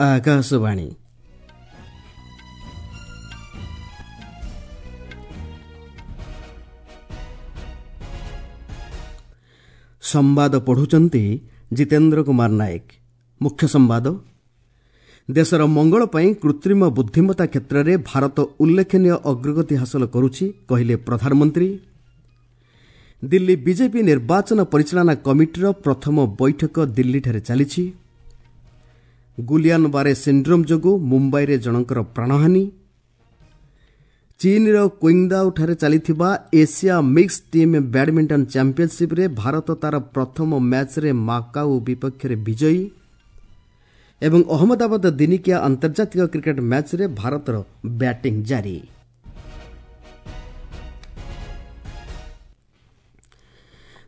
ଆକାଶବାଣୀ। ସମ୍ବାଦ ପଢ଼ୁଛନ୍ତି ଜିତେନ୍ଦ୍ର କୁମାର ନାୟକ। ମୁଖ୍ୟ ସମ୍ବାଦ। ଦେଶର ମଙ୍ଗଳ ପାଇଁ କୃତ୍ରିମ ବୁଦ୍ଧିମତ୍ତା କ୍ଷେତ୍ରରେ ଭାରତ ଉଲ୍ଲେଖନୀୟ ଅଗ୍ରଗତି ହାସଲ କରୁଛି, କହିଲେ ପ୍ରଧାନମନ୍ତ୍ରୀ। ଦିଲ୍ଲୀ ବିଜେପି ନିର୍ବାଚନ ପରିଚାଳନା କମିଟିର ପ୍ରଥମ ବୈଠକ ଦିଲ୍ଲୀଠାରେ ଚାଲିଛି। ଗୁଲିଆନ ବାରେ ସିଣ୍ଡ୍ରୋମ୍ ଯୋଗୁଁ ମୁମ୍ବାଇରେ ଜଣଙ୍କର ପ୍ରାଣହାନି। ଚୀନ୍ର କ୍ୱିଙ୍ଗଦାଓଠାରେ ଚାଲିଥିବା ଏସିଆ ମିକ୍ସ ଟିମ୍ ବ୍ୟାଡ୍ମିଣ୍ଟନ ଚାମ୍ପିୟନସିପ୍ରେ ଭାରତ ତା'ର ପ୍ରଥମ ମ୍ୟାଚ୍ରେ ମାକାଉ ବିପକ୍ଷରେ ବିଜୟୀ। ଏବଂ ଅହମ୍ମଦାବାଦ ଦିନିକିଆ ଆନ୍ତର୍ଜାତିକ କ୍ରିକେଟ୍ ମ୍ୟାଚ୍ରେ ଭାରତର ବ୍ୟାଟିଂ ଜାରି।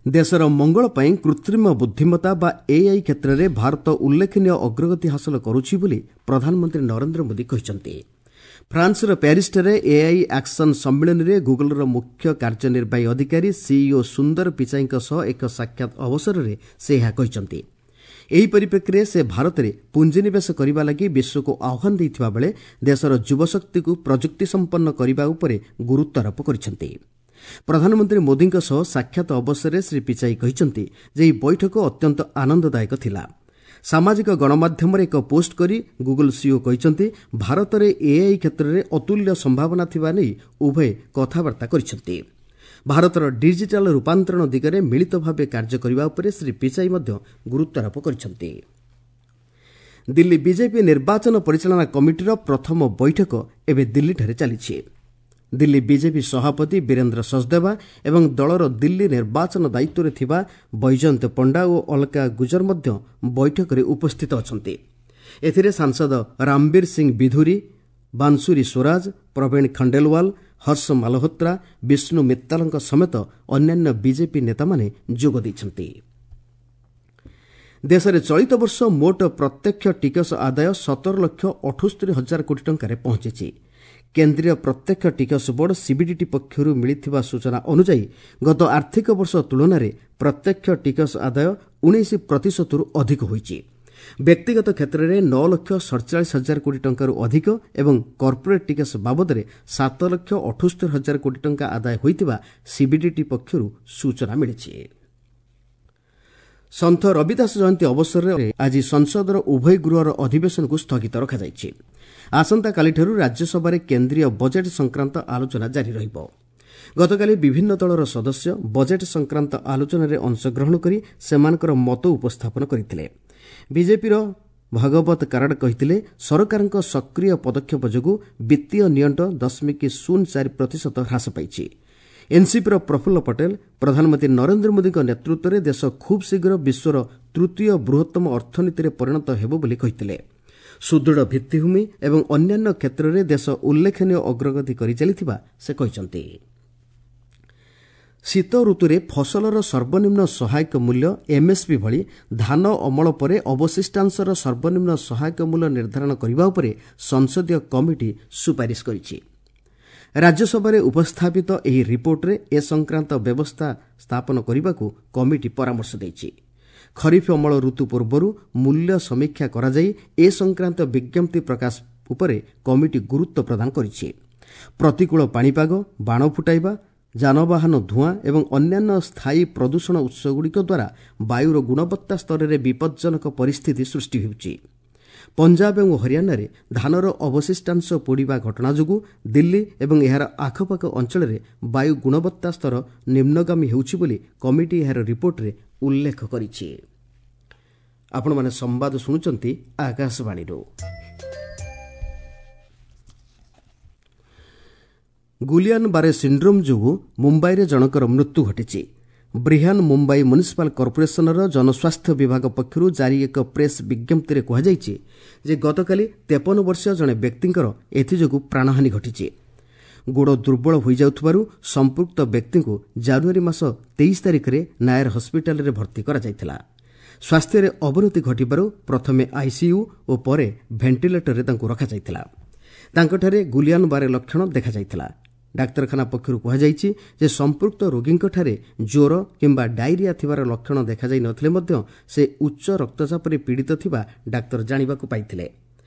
ଦେଶର ମଙ୍ଗଳ ପାଇଁ କୃତ୍ରିମ ବୁଦ୍ଧିମତ୍ତା ବା ଏଆଇ କ୍ଷେତ୍ରରେ ଭାରତ ଉଲ୍ଲେଖନୀୟ ଅଗ୍ରଗତି ହାସଲ କରୁଛି ବୋଲି ପ୍ରଧାନମନ୍ତ୍ରୀ ନରେନ୍ଦ୍ର ମୋଦି କହିଛନ୍ତି। ଫ୍ରାନ୍ସର ପ୍ୟାରିସ୍ଠାରେ ଏଆଇ ଆକ୍ସନ୍ ସମ୍ମିଳନୀରେ ଗୁଗଲ୍ର ମୁଖ୍ୟ କାର୍ଯ୍ୟନିର୍ବାହୀ ଅଧିକାରୀ ସିଇଓ ସୁନ୍ଦର ପିଚାଇଙ୍କ ସହ ଏକ ସାକ୍ଷାତ ଅବସରରେ ସେ ଏହା କହିଛନ୍ତି। ଏହି ପରିପ୍ରେକ୍ଷୀରେ ସେ ଭାରତରେ ପୁଞ୍ଜିନିବେଶ କରିବା ଲାଗି ବିଶ୍ୱକୁ ଆହ୍ୱାନ ଦେଇଥିବା ବେଳେ ଦେଶର ଯୁବଶକ୍ତିକୁ ପ୍ରଯୁକ୍ତିସମ୍ପନ୍ନ କରିବା ଉପରେ ଗୁରୁତ୍ୱାରୋପ କରିଛନ୍ତି। ପ୍ରଧାନମନ୍ତ୍ରୀ ମୋଦିଙ୍କ ସହ ସାକ୍ଷାତ ଅବସରରେ ଶ୍ରୀ ପିଚାଇ କହିଛନ୍ତି ଯେ ଏହି ବୈଠକ ଅତ୍ୟନ୍ତ ଆନନ୍ଦଦାୟକ ଥିଲା। ସାମାଜିକ ଗଣମାଧ୍ୟମରେ ଏକ ପୋଷ୍ଟ କରି ଗୁଗଲ୍ ସିଇଓ କହିଛନ୍ତି, ଭାରତରେ ଏଆଇ କ୍ଷେତ୍ରରେ ଅତୁଲ୍ୟ ସମ୍ଭାବନା ଥିବା ନେଇ ଉଭୟେ କଥାବାର୍ତ୍ତା କରିଛନ୍ତି। ଭାରତର ଡିଜିଟାଲ୍ ରୂପାନ୍ତରଣ ଦିଗରେ ମିଳିତ ଭାବେ କାର୍ଯ୍ୟ କରିବା ଉପରେ ଶ୍ରୀ ପିଚାଇ ମଧ୍ୟ ଗୁରୁତ୍ୱାରୋପ କରିଛନ୍ତି। ଦିଲ୍ଲୀ ବିଜେପି ନିର୍ବାଚନ ପରିଚାଳନା କମିଟିର ପ୍ରଥମ ବୈଠକ ଏବେ ଦିଲ୍ଲୀଠାରେ ଚାଲିଛି। ଦିଲ୍ଲୀ ବିଜେପି ସଭାପତି ବୀରେନ୍ଦ୍ର ସଚଦେବା ଏବଂ ଦଳର ଦିଲ୍ଲୀ ନିର୍ବାଚନ ଦାୟିତ୍ୱରେ ଥିବା ବୈଜୟନ୍ତ ପଣ୍ଡା ଓ ଅଲକା ଗୁଜର ମଧ୍ୟ ବୈଠକରେ ଉପସ୍ଥିତ ଅଛନ୍ତି। ଏଥିରେ ସାଂସଦ ରାମବୀର ସିଂ ବିଧୁରୀ, ବାଂଶୁରୀ ସ୍ୱରାଜ, ପ୍ରବୀଣ ଖଣ୍ଡେଲୱାଲ, ହର୍ଷ ମାଲହୋତ୍ରା, ବିଷ୍ଣୁ ମିତ୍ତାଲଙ୍କ ସମେତ ଅନ୍ୟାନ୍ୟ ବିଜେପି ନେତାମାନେ ଯୋଗ ଦେଇଛନ୍ତି। ଦେଶରେ ଚଳିତ ବର୍ଷ ମୋଟ ପ୍ରତ୍ୟକ୍ଷ ଟିକସ ଆଦାୟ 17,78,000 କୋଟି ଟଙ୍କାରେ ପହଞ୍ଚିଛି। କେନ୍ଦ୍ରୀୟ ପ୍ରତ୍ୟକ୍ଷ ଟିକସ ବୋର୍ଡ ସିବିଡିଟି ପକ୍ଷରୁ ମିଳିଥିବା ସୂଚନା ଅନୁଯାୟୀ ଗତ ଆର୍ଥିକ ବର୍ଷ ତୁଳନାରେ ପ୍ରତ୍ୟକ୍ଷ ଟିକସ ଆଦାୟ 19 ପ୍ରତିଶତରୁ ଅଧିକ ହୋଇଛି। ବ୍ୟକ୍ତିଗତ କ୍ଷେତ୍ରରେ 9,47,000 କୋଟି ଟଙ୍କାରୁ ଅଧିକ ଏବଂ କର୍ପୋରେଟ୍ ଟିକସ ବାବଦରେ 7,78,000 କୋଟି ଟଙ୍କା ଆଦାୟ ହୋଇଥିବା ସିବିଡିଟି ପକ୍ଷରୁ ସୂଚନା ମିଳିଛି। ସନ୍ଥ ରବିଦାସ ଜୟନ୍ତୀ ଅବସରରେ ଆଜି ସଂସଦର ଉଭୟ ଗୃହର ଅଧିବେଶନକୁ ସ୍ଥଗିତ ରଖାଯାଇଛି। ଆସନ୍ତାକାଲିଠାରୁ ରାଜ୍ୟସଭାରେ କେନ୍ଦ୍ରୀୟ ବଜେଟ୍ ସଂକ୍ରାନ୍ତ ଆଲୋଚନା ଜାରି ରହିବ। ଗତକାଲି ବିଭିନ୍ନ ଦଳର ସଦସ୍ୟ ବଜେଟ୍ ସଂକ୍ରାନ୍ତ ଆଲୋଚନାରେ ଅଂଶଗ୍ରହଣ କରି ସେମାନଙ୍କର ମତ ଉପସ୍ଥାପନ କରିଥିଲେ। ବିଜେପିର ଭଗବତ କାରାଡ କହିଥିଲେ, ସରକାରଙ୍କ ସକ୍ରିୟ ପଦକ୍ଷେପ ଯୋଗୁଁ ବିତ୍ତୀୟ ନିଅଣ୍ଟ 0.04% ହ୍ରାସ ପାଇଛି। ଏନ୍ସିପିର ପ୍ରଫୁଲ୍ଲ ପଟେଲ ପ୍ରଧାନମନ୍ତ୍ରୀ ନରେନ୍ଦ୍ର ମୋଦିଙ୍କ ନେତୃତ୍ୱରେ ଦେଶ ଖୁବ୍ ଶୀଘ୍ର ବିଶ୍ୱର ତୃତୀୟ ବୃହତ୍ତମ ଅର୍ଥନୀତିରେ ପରିଣତ ହେବ ବୋଲି କହିଥିଲେ। ସୁଦୃଢ଼ ଭିତ୍ତିଭୂମି ଏବଂ ଅନ୍ୟାନ୍ୟ କ୍ଷେତ୍ରରେ ଦେଶ ଉଲ୍ଲେଖନୀୟ ଅଗ୍ରଗତି କରିଚାଲିଥିବା ସେ କହିଛନ୍ତି। ଶୀତ ଋତୁରେ ଫସଲର ସର୍ବନିମ୍ନ ସହାୟକ ମୂଲ୍ୟ ଏମ୍ଏସ୍ପି ଭଳି ଧାନ ଅମଳ ପରେ ଅବଶିଷ୍ଟାଂଶର ସର୍ବନିମ୍ନ ସହାୟକ ମୂଲ୍ୟ ନିର୍ଦ୍ଧାରଣ କରିବା ଉପରେ ସଂସଦୀୟ କମିଟି ସୁପାରିଶ କରିଛି। ରାଜ୍ୟସଭାରେ ଉପସ୍ଥାପିତ ଏହି ରିପୋର୍ଟରେ ଏ ସଂକ୍ରାନ୍ତ ବ୍ୟବସ୍ଥା ସ୍ଥାପନ କରିବାକୁ କମିଟି ପରାମର୍ଶ ଦେଇଛି। ଖରିଫ ଅମଳ ଋତୁ ପୂର୍ବରୁ ମୂଲ୍ୟ ସମୀକ୍ଷା କରାଯାଇ ଏ ସଂକ୍ରାନ୍ତ ବିଜ୍ଞପ୍ତି ପ୍ରକାଶ ଉପରେ କମିଟି ଗୁରୁତ୍ୱ ପ୍ରଦାନ କରିଛି। ପ୍ରତିକୂଳ ପାଣିପାଗ, ବାଣ ଫୁଟାଇବା, ଯାନବାହନ ଧୂଆଁ ଏବଂ ଅନ୍ୟାନ୍ୟ ସ୍ଥାୟୀ ପ୍ରଦୂଷଣ ଉତ୍ସଗୁଡ଼ିକ ଦ୍ୱାରା ବାୟୁର ଗୁଣବତ୍ତା ସ୍ତରରେ ବିପଜ୍ଜନକ ପରିସ୍ଥିତି ସୃଷ୍ଟି ହେଉଛି। ପଞ୍ଜାବ ଏବଂ ହରିୟାଣାରେ ଧାନର ଅବଶିଷ୍ଟାଂଶ ପୋଡ଼ିବା ଘଟଣା ଯୋଗୁଁ ଦିଲ୍ଲୀ ଏବଂ ଏହାର ଆଖପାଖ ଅଞ୍ଚଳରେ ବାୟୁ ଗୁଣବତ୍ତା ସ୍ତର ନିମ୍ନଗାମୀ ହେଉଛି ବୋଲି କମିଟି ଏହାର ରିପୋର୍ଟରେ ଉଲ୍ଲେଖ କରିଛି। ଆପଣମାନେ ସମ୍ବାଦ ଶୁଣୁଛନ୍ତି ଆକାଶବାଣୀରୁ। ଗୁଲିଆନ ବାରେ ସିଣ୍ଡ୍ରୋମ୍ ଯୋଗୁଁ ମୁମ୍ବାଇରେ ଜଣଙ୍କର ମୃତ୍ୟୁ ଘଟିଛି। ବ୍ରିହାନ ମୁମ୍ବାଇ ମ୍ୟୁନିସିପାଲ କର୍ପୋରେସନର ଜନସ୍ୱାସ୍ଥ୍ୟ ବିଭାଗ ପକ୍ଷରୁ ଜାରି ଏକ ପ୍ରେସ୍ ବିଜ୍ଞପ୍ତିରେ କୁହାଯାଇଛି ଯେ ଗତକାଲି 53 ବର୍ଷୀୟ ଜଣେ ବ୍ୟକ୍ତିଙ୍କର ଏଥିଯୋଗୁଁ ପ୍ରାଣହାନି ଘଟିଛି। ଗୋଡ଼ ଦୁର୍ବଳ ହୋଇଯାଉଥିବାରୁ ସମ୍ପୃକ୍ତ ବ୍ୟକ୍ତିଙ୍କୁ ଜାନୁଆରୀ ମାସ 23 ତାରିଖରେ ନାୟର ହସ୍ପିଟାଲରେ ଭର୍ତ୍ତି କରାଯାଇଥିଲା। ସ୍ୱାସ୍ଥ୍ୟରେ ଅବନତି ଘଟିବାରୁ ପ୍ରଥମେ ଆଇସିୟୁ ଓ ପରେ ଭେଣ୍ଟିଲେଟରରେ ତାଙ୍କୁ ରଖାଯାଇଥିଲା। ତାଙ୍କଠାରେ ଗୁଲିଆନ ବାରେ ଲକ୍ଷଣ ଦେଖାଯାଇଥିଲା। ଡାକ୍ତରଖାନା ପକ୍ଷରୁ କୁହାଯାଇଛି ଯେ ସମ୍ପୃକ୍ତ ରୋଗୀଙ୍କଠାରେ ଜ୍ୱର କିମ୍ବା ଡାଇରିଆ ଥିବାର ଲକ୍ଷଣ ଦେଖାଯାଇ ନଥିଲେ ମଧ୍ୟ ସେ ଉଚ୍ଚ ରକ୍ତଚାପରେ ପୀଡ଼ିତ ଥିବା ଡାକ୍ତର ଜାଣିବାକୁ ପାଇଥିଲେ।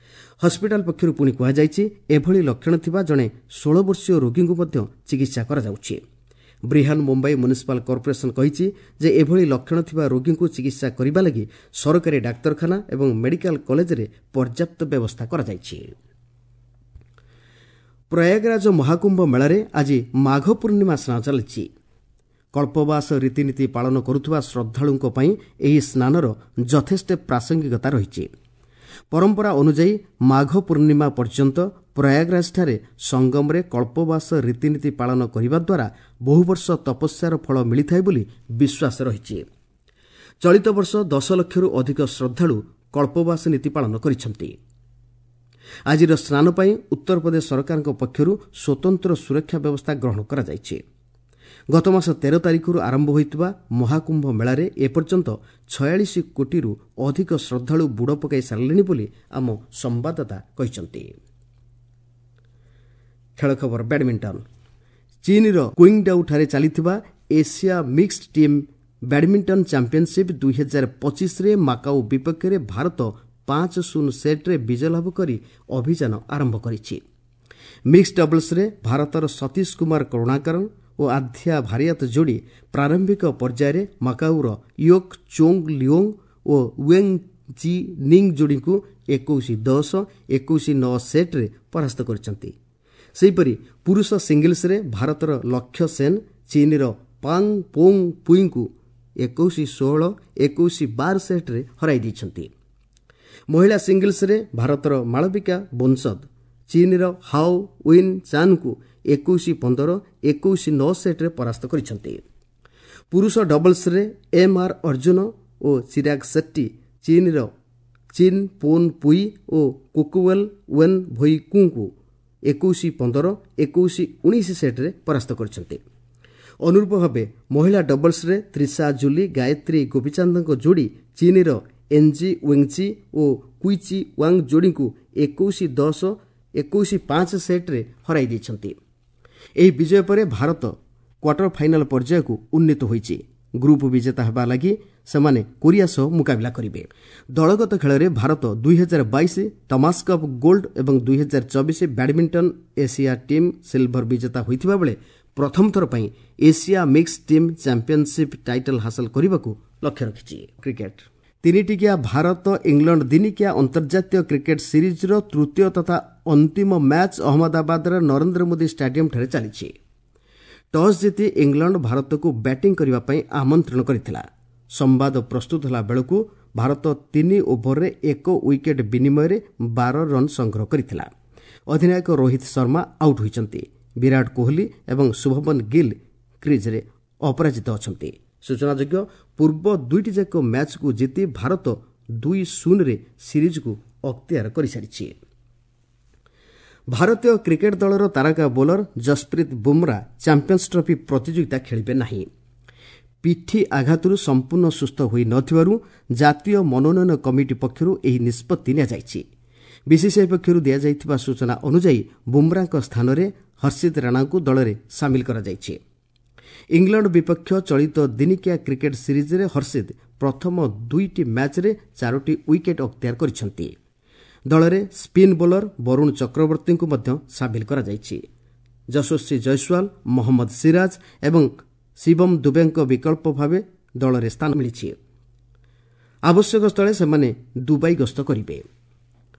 ହସ୍ପିଟାଲ ପକ୍ଷରୁ ପୁଣି କୁହାଯାଇଛି, ଏଭଳି ଲକ୍ଷଣ ଥିବା ଜଣେ 16 ବର୍ଷୀୟ ରୋଗୀଙ୍କୁ ମଧ୍ୟ ଚିକିତ୍ସା କରାଯାଉଛି। ବ୍ରିହାନ୍ ମୁମ୍ବାଇ ମ୍ୟୁନିସିପାଲ କର୍ପୋରେସନ କହିଛି ଯେ ଏଭଳି ଲକ୍ଷଣ ଥିବା ରୋଗୀଙ୍କୁ ଚିକିତ୍ସା କରିବା ଲାଗି ସରକାରୀ ଡାକ୍ତରଖାନା ଏବଂ ମେଡିକାଲ କଲେଜରେ ପର୍ଯ୍ୟାପ୍ତ ବ୍ୟବସ୍ଥା କରାଯାଇଛି। ପ୍ରୟାଗରାଜ ମହାକୁମ୍ଭ ମେଳାରେ ଆଜି ମାଘ ପୂର୍ଣ୍ଣିମା ସ୍ନାନ ଚାଲିଛି। କଳ୍ପବାସ ରୀତିନୀତି ପାଳନ କରୁଥିବା ଶ୍ରଦ୍ଧାଳୁଙ୍କ ପାଇଁ ଏହି ସ୍ନାନର ଯଥେଷ୍ଟ ପ୍ରାସଙ୍ଗିକତା ରହିଛି। ପରମ୍ପରା ଅନୁଯାୟୀ ମାଘ ପୂର୍ଣ୍ଣିମା ପର୍ଯ୍ୟନ୍ତ ପ୍ରୟାଗରାଜଠାରେ ସଙ୍ଗମରେ କଳ୍ପବାସ ରୀତିନୀତି ପାଳନ କରିବା ଦ୍ୱାରା ବହୁବର୍ଷ ତପସ୍ୟାର ଫଳ ମିଳିଥାଏ ବୋଲି ବିଶ୍ୱାସ ରହିଛି। ଚଳିତ ବର୍ଷ 10 ଲକ୍ଷରୁ ଅଧିକ ଶ୍ରଦ୍ଧାଳୁ କଳ୍ପବାସ ନୀତି ପାଳନ କରିଛନ୍ତି। ଆଜିର ସ୍ନାନ ପାଇଁ ଉତ୍ତରପ୍ରଦେଶ ସରକାରଙ୍କ ପକ୍ଷରୁ ସ୍ୱତନ୍ତ୍ର ସୁରକ୍ଷା ବ୍ୟବସ୍ଥା ଗ୍ରହଣ କରାଯାଇଛି। ଗତମାସ 13 ତାରିଖରୁ ଆରମ୍ଭ ହୋଇଥିବା ମହାକୁମ୍ଭ ମେଳାରେ ଏପର୍ଯ୍ୟନ୍ତ 46 କୋଟିରୁ ଅଧିକ ଶ୍ରଦ୍ଧାଳୁ ବୁଡ଼ ପକାଇ ସାରିଲେଣି ବୋଲି ଆମ ସମ୍ବାଦଦାତା କହିଛନ୍ତି। ଖେଳ ଖବର, ବ୍ୟାଡମିଣ୍ଟନ। ଚୀନ୍ର କୁଇଙ୍ଗଡାଉଠାରେ ଚାଲିଥିବା Asia mixed team badminton championship 2025ରେ Macau ବିପକ୍ଷରେ ଭାରତ 5-0 ସେଟ୍ରେ ବିଜୟ ଲାଭ କରି ଅଭିଯାନ ଆରମ୍ଭ କରିଛି। ମିକ୍ସଡ ଡବଲ୍ସରେ ଭାରତର ସତୀଶ କୁମାର କରୁଣାକରନ ଓ ଆଧ୍ୟା ଭାରିଆତ ଯୋଡ଼ି ପ୍ରାରମ୍ଭିକ ପର୍ଯ୍ୟାୟରେ ମାକାଉର ୟୋକ୍ ଚୋଙ୍ଗ ଲିଓଙ୍ଗ ଓ ୱେଙ୍ଗ ଜି ନିଙ୍ଗ ଯୋଡ଼ିଙ୍କୁ 21-10, 21-9 ସେଟ୍ରେ ପରାସ୍ତ କରିଛନ୍ତି। ସେହିପରି ପୁରୁଷ ସିଙ୍ଗଲ୍ସରେ ଭାରତର ଲକ୍ଷ୍ୟ ସେନ୍ ଚୀନ୍ର ପାଙ୍ଗ ପୋଙ୍ଗ ପୁଇଙ୍କୁ 21-16, 21-12 ସେଟ୍ରେ ହରାଇ ଦେଇଛନ୍ତି। ମହିଳା ସିଙ୍ଗଲ୍ସରେ ଭାରତର ମାଳବିକା ବୋନସଦ ଚୀନ୍ର ହାଓ ୱିନ୍ ଚାନ୍ଙ୍କୁ 21-15, 21-9 ସେଟ୍ରେ ପରାସ୍ତ କରିଛନ୍ତି। ପୁରୁଷ ଡବଲ୍ସରେ ଏମ୍ ଆର୍ ଅର୍ଜୁନ ଓ ଚିରାଗ ସେଟ୍ଟି ଚୀନ୍ର ଚିନ୍ ପୋନ୍ ପୁଇ ଓ କୋକୁୱେଲ୍ ୱେନ୍ ଭୋଇକୁଙ୍କୁ 21-15, 21-19 ସେଟ୍ରେ ପରାସ୍ତ କରିଛନ୍ତି। ଅନୁରୂପ ଭାବେ ମହିଳା ଡବଲ୍ସରେ ତ୍ରିଷା ଜୁଲି ଗାୟତ୍ରୀ ଗୋପୀଚାନ୍ଦଙ୍କ ଯୋଡ଼ି ଚୀନ୍ର ଏନ୍ଜି ୱେଙ୍ଗଚି ଓ କୁଇଚି ୱାଙ୍ଗ ଯୋଡ଼ିଙ୍କୁ 21-10, 21-5 ସେଟ୍ରେ ହରାଇ ଦେଇଛନ୍ତି। ଏହି ବିଜୟ ପରେ ଭାରତ କ୍ୱାର୍ଟର ଫାଇନାଲ ପର୍ଯ୍ୟାୟକୁ ଉନ୍ନୀତ ହୋଇଛି। ଗ୍ରୁପ୍ ବିଜେତା ହେବା ଲାଗି ସେମାନେ କୋରିଆ ସହ ମୁକାବିଲା କରିବେ। ଦଳଗତ ଖେଳରେ ଭାରତ 2022 ଥମାସ କପ୍ ଗୋଲ୍ଡ ଏବଂ 2024 ବ୍ୟାଡମିଣ୍ଟନ ଏସିଆ ଟିମ୍ ସିଲଭର ବିଜେତା ହୋଇଥିବା ବେଳେ ପ୍ରଥମ ଥର ପାଇଁ Asia mix team championship title ହାସଲ କରିବାକୁ ଲକ୍ଷ୍ୟ ରଖିଛି। କ୍ରିକେଟ। ତିନିଟିକିଆ ଭାରତ ଇଂଲଣ୍ଡ ଦିନିକିଆ ଅନ୍ତର୍ଜାତୀୟ କ୍ରିକେଟ ସିରିଜ୍ର ତୃତୀୟ ତଥା ଅନ୍ତିମ ମ୍ୟାଚ୍ ଅହମ୍ମଦାବାଦର ନରେନ୍ଦ୍ର ମୋଦି ଷ୍ଟାଡିୟମଠାରେ ଚାଲିଛି। ଟସ୍ ଜିତି ଇଂଲଣ୍ଡ ଭାରତକୁ ବ୍ୟାଟିଂ କରିବା ପାଇଁ ଆମନ୍ତ୍ରଣ କରିଥିଲା। ସମ୍ବାଦ ପ୍ରସ୍ତୁତ ହେଲା ବେଳକୁ ଭାରତ 3 ଓଭରରେ 1 ୱିକେଟ୍ ବିନିମୟରେ 12 ରନ୍ ସଂଗ୍ରହ କରିଥିଲା। ଅଧିନାୟକ ରୋହିତ ଶର୍ମା ଆଉଟ୍ ହୋଇଛନ୍ତି। ବିରାଟ କୋହଲି ଏବଂ ଶୁଭମନ ଗିଲ୍ କ୍ରିଜ୍ରେ ଅପରାଜିତ ଅଛନ୍ତି। ସୂଚନାଯୋଗ୍ୟ, ପୂର୍ବ ଦୁଇଟି ଯାକ ମ୍ୟାଚ୍କୁ ଜିତି ଭାରତ 2-0ରେ ସିରିଜ୍କୁ ଅକ୍ତିଆର କରିସାରିଛି। ଭାରତୀୟ କ୍ରିକେଟ ଦଳର ତାରକା bowler Jasprit Bumrah champions trophy ପ୍ରତିଯୋଗିତା ଖେଳିବେ ନାହିଁ। ପିଠି ଆଘାତରୁ ସମ୍ପୂର୍ଣ୍ଣ ସୁସ୍ଥ ହୋଇନଥିବାରୁ ଜାତୀୟ ମନୋନୟନ କମିଟି ପକ୍ଷରୁ ଏହି ନିଷ୍ପତ୍ତି ନିଆଯାଇଛି। ବିସିସିଆଇ ପକ୍ଷରୁ ଦିଆଯାଇଥିବା ସୂଚନା ଅନୁଯାୟୀ ବୁମ୍ରାଙ୍କ ସ୍ଥାନରେ ହର୍ଷିତ ରାଣାଙ୍କୁ ଦଳରେ ସାମିଲ କରାଯାଇଛି। ଇଂଲଣ୍ଡ ବିପକ୍ଷ ଚଳିତ ଦିନିକିଆ କ୍ରିକେଟ ସିରିଜ୍ରେ ହର୍ଷିତ ପ୍ରଥମ ଦୁଇଟି ମ୍ୟାଚ୍ରେ 4ଟି ୱିକେଟ୍ ଅକ୍ତିଆର କରିଛନ୍ତି। ଦଳରେ ସ୍ପିନ୍ ବୋଲର ବରୁଣ ଚକ୍ରବର୍ତ୍ତୀଙ୍କୁ ମଧ୍ୟ ସାମିଲ କରାଯାଇଛି। ଯଶସ୍ୱୀ ଜୟସ୍ୱାଲ, ମହମ୍ମଦ ସିରାଜ ଏବଂ ଶିବମ ଦୁବେଙ୍କ ବିକଳ୍ପ ଭାବେ ଦଳରେ ସ୍ଥାନ ମିଳିଛି। ଆବଶ୍ୟକ ସ୍ଥଳେ ସେମାନେ ଦୁବାଇ ଗସ୍ତ କରିବେ।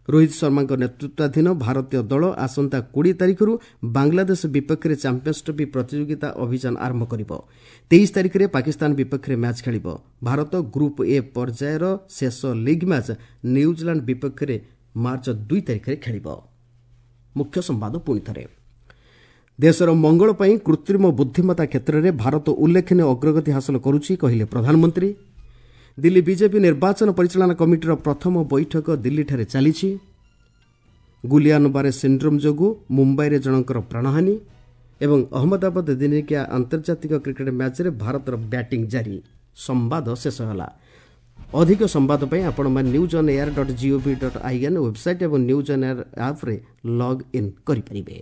ରୋହିତ ଶର୍ମାଙ୍କ ନେତୃତ୍ୱାଧୀନ ଭାରତୀୟ ଦଳ ଆସନ୍ତା 20 ତାରିଖରୁ ବାଂଲାଦେଶ ବିପକ୍ଷରେ ଚାମ୍ପିୟନ୍ସ ଟ୍ରଫି ପ୍ରତିଯୋଗିତା ଅଭିଯାନ ଆରମ୍ଭ କରିବ। 23 ତାରିଖରେ ପାକିସ୍ତାନ ବିପକ୍ଷରେ ମ୍ୟାଚ୍ ଖେଳିବ। ଭାରତ ଗ୍ରୁପ୍ ଏ ପର୍ଯ୍ୟାୟର ଶେଷ ଲିଗ୍ ମ୍ୟାଚ୍ ନ୍ୟୁଜିଲାଣ୍ଡ ବିପକ୍ଷରେ ମାର୍ଚ୍ଚ 2 ତାରିଖରେ ଖେଳିବ। ମୁଖ୍ୟ ସମ୍ବାଦ ପୁଣି ଥରେ। ଦେଶର ମଙ୍ଗଳ ପାଇଁ କୃତ୍ରିମ ବୁଦ୍ଧିମତ୍ତା କ୍ଷେତ୍ରରେ ଭାରତ ଉଲ୍ଲେଖନୀୟ ଅଗ୍ରଗତି ହାସଲ କରୁଛି, କହିଲେ ପ୍ରଧାନମନ୍ତ୍ରୀ। ଦିଲ୍ଲୀ ବିଜେପି ନିର୍ବାଚନ ପରିଚାଳନା କମିଟିର ପ୍ରଥମ ବୈଠକ ଦିଲ୍ଲୀଠାରେ ଚାଲିଛି। ଗୁଲିଆନବାରେ ସିଣ୍ଡ୍ରୋମ୍ ଯୋଗୁଁ ମୁମ୍ବାଇରେ ଜଣଙ୍କର ପ୍ରାଣହାନି ଏବଂ ଅହମ୍ମଦାବାଦ ଦିନିକିଆ ଆନ୍ତର୍ଜାତିକ କ୍ରିକେଟ୍ ମ୍ୟାଚ୍ରେ ଭାରତର ବ୍ୟାଟିଂ ଜାରି। ସମ୍ବାଦ ଶେଷ ହେଲା। ଅଧିକ ସମ୍ବାଦ ପାଇଁ ଆପଣମାନେ newsonair.gov.in website ଏବଂ ନ୍ୟୁଜ୍ ଅନ୍ ଏୟାର ଆପ୍ରେ ଲଗ୍ ଇନ୍ କରିପାରିବେ।